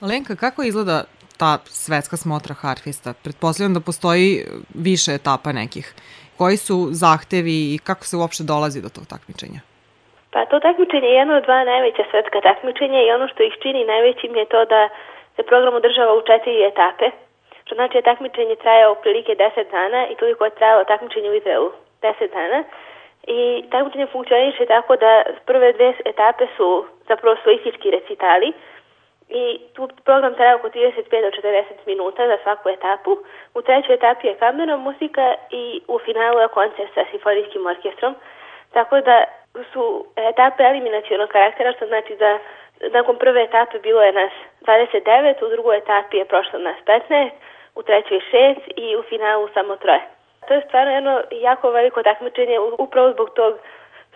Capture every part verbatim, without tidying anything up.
Lenka, kako izgleda ta svetska smotra harfista? Pretpostavljam da postoji više etapa nekih. Koji su zahtevi i kako se uopšte dolazi do tog takmičenja? Pa to takmičenje je jedno od dva najveća svetska takmičenja i ono što ih čini najvećim je to da se program održava u četiri etape. Što znači da takmičenje traje otprilike deset dana i toliko je trajalo takmičenje u Izraelu deset dana. I takmičenje funkcioniše tako da prve dve etape su zapravo solistički recitali i tu program traje oko trideset pet do četrdeset minuta za svaku etapu. U trećoj etapi je kamerna muzika i u finalu je koncert sa simfonijskim orkestrom. Tako da su etape eliminacionog karaktera, što znači da nakon prve etape bilo je nas dvadeset devet, u drugoj etapi je prošlo nas petnaest, u trećoj šest i u finalu samo troje. To je stvarno jedno jako veliko takmičenje upravo zbog tog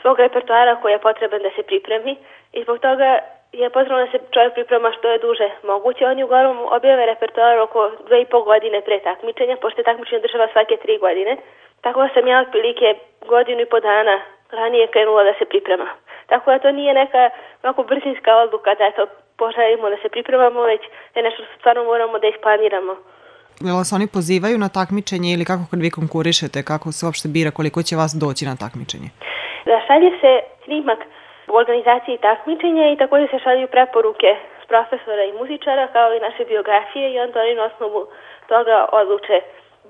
svog repertoara koji je potreban da se pripremi i zbog toga je potrebno da se čovjek priprema što je duže moguće. Oni uglavnom objave repertoar oko dve i pol godine pre takmičenja, pošto je takmičenje država svake tri godine. Tako da sam ja otprilike godinu i po dana ranije krenula da se priprema. Tako da to nije neka ovako brzinska odluka da eto poželimo da se pripremamo, već je nešto što stvarno moramo da isplaniramo. Jel vas oni pozivaju na takmičenje ili kako kad vi konkurišete, kako se uopšte bira, koliko će vas doći na takmičenje? Da, šalje se snimak u organizaciji takmičenja i također se šalju preporuke s profesora i muzičara kao i naše biografije i onda oni na osnovu toga odluče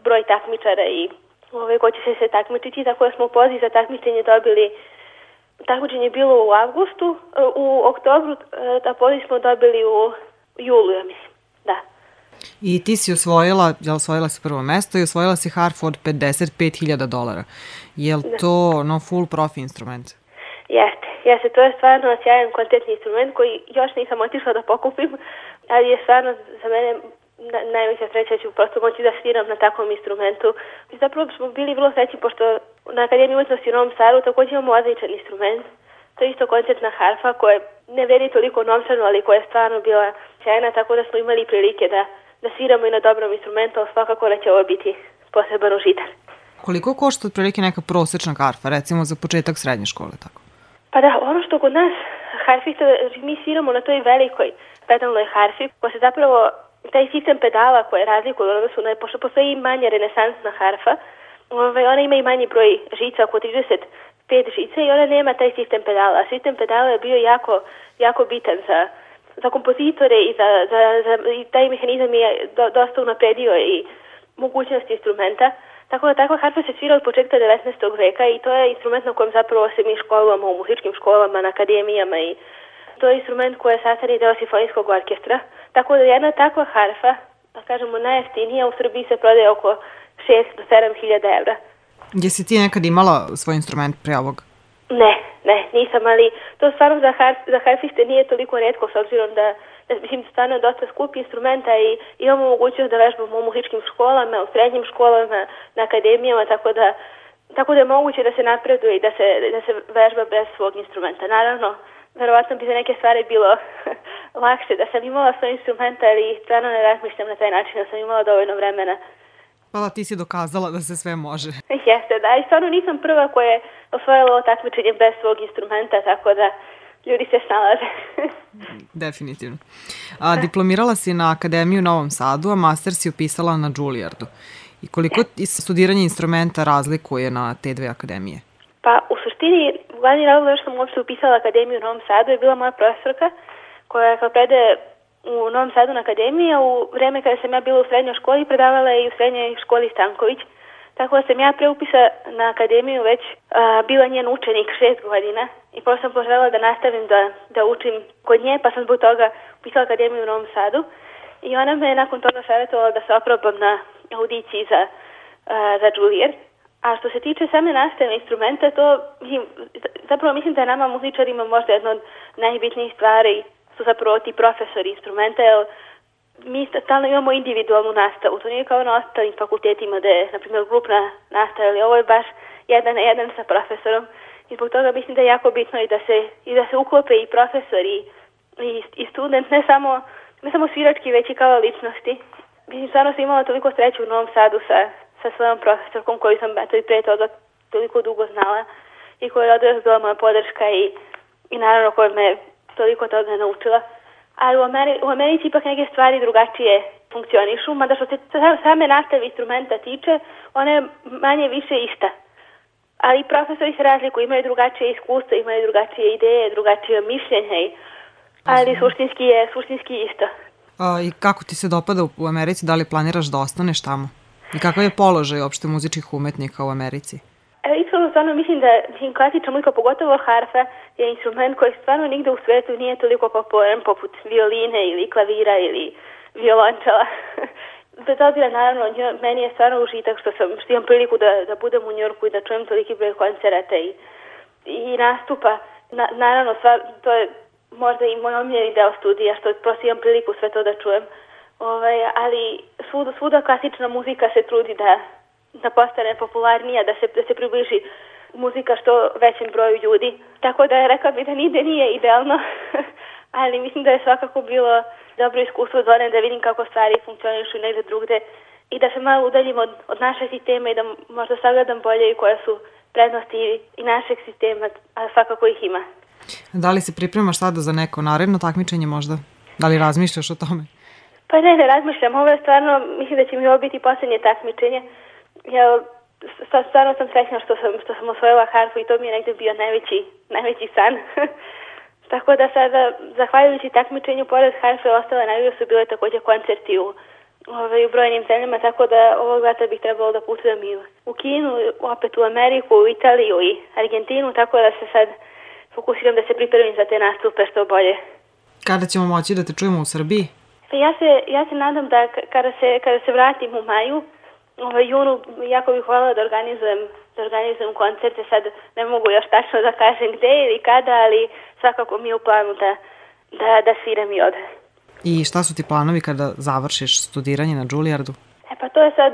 broj takmičara i ove, ko će se se takmičiti. Tako da smo poziv za takmičenje dobili, takmičenje je bilo u avgustu, u oktobru, a poziv smo dobili u julu, ja mislim, da. I ti si osvojila, jel osvojila si prvo mesto i osvojila si harfu od pedeset pet hiljada dolara. Je li to no full profi instrument? Jeste, jeste, to je stvarno sjajan kvalitetni instrument koji još nisam otišla da pokupim, ali je stvarno za mene najveća sreća, ću prosto moći da sviram na takvom instrumentu. I zapravo smo bili vrlo srećni pošto na Akademiji umetnosti u Novom Sadu također imamo odličan instrument. To je isto koncertna harfa koja ne veri toliko novčano, ali koja je stvarno bila sjajna, tako da smo imali prilike da, da sviramo i na dobrom instrumentu, ali svakako da će ovo biti poseban užitak. Koliko košta otprilike neka prosečna harfa, recimo za početak srednje škole, tako? Pa da, ono što kod nas harfista, mi sviramo na toj velikoj pedalnoj harfi, koja se zapravo taj sistem pedala koje razlikuje u odnosu na, pošto postoji manja renesansna harfa, ovaj, ona ima i manji broj žica, oko trideset pet žica i ona nema taj sistem pedala. A sistem pedala je bio jako, jako bitan za, za kompozitore i, za, za, za, i taj mehanizam je do, dosta unapredio i mogućnost instrumenta. Tako da takva harfa se svira od početka devetnaestog veka i to je instrument na kojem zapravo se mi školujemo u muzičkim školama, na akademijama i to je instrument koji je sastavni deo simfonijskog orkestra. Tako da jedna takva harfa, da kažemo najjeftinija, u Srbiji se prodaje oko šest do sedam hiljada evra. Jesi ti nekad imala svoj instrument pre ovog? Ne, ne, nisam, ali to stvarno za, harf, za harfiste nije toliko retko s obzirom da, da mislim, stvarno je dosta skup instrumenta i imamo mogućnost da vežbamo u muzičkim školama, u srednjim školama, na akademijama, tako da, tako da je moguće da se napreduje i da se, da se vežba bez svog instrumenta. Naravno, verovatno bi za neke stvari bilo lakše da sam imala svoj instrument, ali stvarno ne razmišljam na taj način, da sam imala dovoljno vremena. Pa da, ti si dokazala da se sve može. Jeste, da, i stvarno nisam prva koja je osvojila ovo takmičenje bez svog instrumenta, tako da ljudi se snalaze. Definitivno. A, diplomirala si na Akademiju u Novom Sadu, a master si upisala na Juilliardu. I koliko studiranje instrumenta razlikuje na te dve akademije? Pa u suštini, glavni razlog što sam uopšte upisala Akademiju u Novom Sadu je bila moja profesorka koja kao predaje u Novom Sadu na akademiji, a u vreme kada sam ja bila u srednjoj školi predavala je i u srednjoj školi Stanković. Tako da sam ja pre upisa na akademiju već a, bila njen učenik šest godina i prosto sam poželjela da nastavim da, da učim kod nje, pa sam zbog toga upisala Akademiju u Novom Sadu i ona me nakon toga savjetovala da se oprobam na audiciji za, a, za Juilliard. A što se tiče same nastave instrumenta, to zapravo mislim da nama muzičarima možda jedna od najbitnijih stvari su zapravo ti profesori instrumenta, jer mi stalno imamo individualnu nastavu. To nije kao na ostalim fakultetima da je, na primjer, grupna nastava, ali ovo je baš jedan na jedan sa profesorom. I zbog toga mislim da je jako bitno i da se, i da se uklope i profesori i, i student, ne samo, ne samo svirački, već i kao ličnosti. Mislim, stvarno sam imala toliko sreću u Novom Sadu sa, sa svojom profesorkom koju sam eto i pre toga toliko dugo znala i koja je odraz bila moja podrška i, i naravno koja me toliko toga naučila. ali u, Ameri u Americi ipak neke stvari drugačije funkcionišu, mada što se same nastave instrumenta tiče, ona je manje više ista. Ali profesori se razlikuju, imaju drugačije iskustva, imaju drugačije ideje, drugačije mišljenja, ali suštinski je suštinski isto. A, I kako ti se dopada u Americi, da li planiraš da ostaneš tamo? I kakav je položaj uopšte muzičkih umetnika u Americi? E, iskreno, stvarno mislim da klasična muzika, pogotovo harfa, je instrument koji stvarno nigde u svetu nije toliko popularan poput violine ili klavira ili violončela. Bez obzira, naravno, meni je stvarno užitak što sam što imam priliku da, da budem u Njorku i da čujem toliki broj koncerata i, i nastupa. Na, naravno, stvar, to je možda i moj omiljeni deo studija, što prosto imam priliku sve to da čujem. Ovaj, ali svuda, svuda klasična muzika se trudi da, da postane popularnija, da se, da se približi muzika što većem broju ljudi. Tako da je rekla bi da nigde nije idealno, ali mislim da je svakako bilo dobro iskustvo za da vidim kako stvari funkcionišu negde drugde i da se malo udaljim od, od našeg sistema i da možda sagledam bolje i koje su prednosti i našeg sistema, a svakako ih ima. Da li se pripremaš sada za neko naredno takmičenje možda? Da li razmišljaš o tome? Pa ne, ne razmišljam. Ovo je stvarno, mislim da će mi ovo biti posljednje takmičenje. Ja stvarno sam srećna što sam, što sam osvojila harfu i to mi je negde bio najveći, najveći san. Tako da sada, zahvaljujući takmičenju, pored harfe, ostale nagrade su bile također koncerti u, ovaj, u brojnim zemljama, tako da ovog leta bih trebalo da putujem i u Kinu, opet u Ameriku, u Italiju i Argentinu, tako da se sad fokusiram da se pripremim za te nastupe što bolje. Kada ćemo moći da te čujemo u Srbiji? Ja se, ja se nadam da kada se, kada se vratim u maju, ovaj, junu, jako bih voljela da organizujem, da organizujem koncerte. Sad ne mogu još tačno da kažem gde ili kada, ali svakako mi je u planu da, da, da sviram i ovde. I šta su ti planovi kada završiš studiranje na Juilliardu? E pa to je sad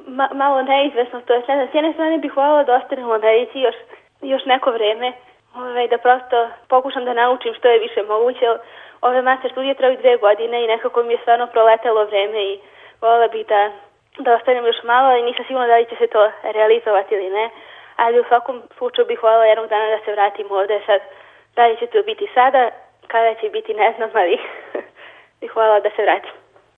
ma, malo neizvesno. To je sad, s jedne strane bih voljela da ostanem u Americi još, još neko vreme, ovaj, da prosto pokušam da naučim što je više moguće. Ove master studije traju dve godine i nekako mi je stvarno proletelo vreme i voljela bih da, da ostanem još malo i nisam sigurna da li će se to realizovati ili ne, ali u svakom slučaju bih voljela jednog dana da se vratim ovde. Sad, da li će to biti sada, kada će biti ne znam, ali bih voljela da se vratim.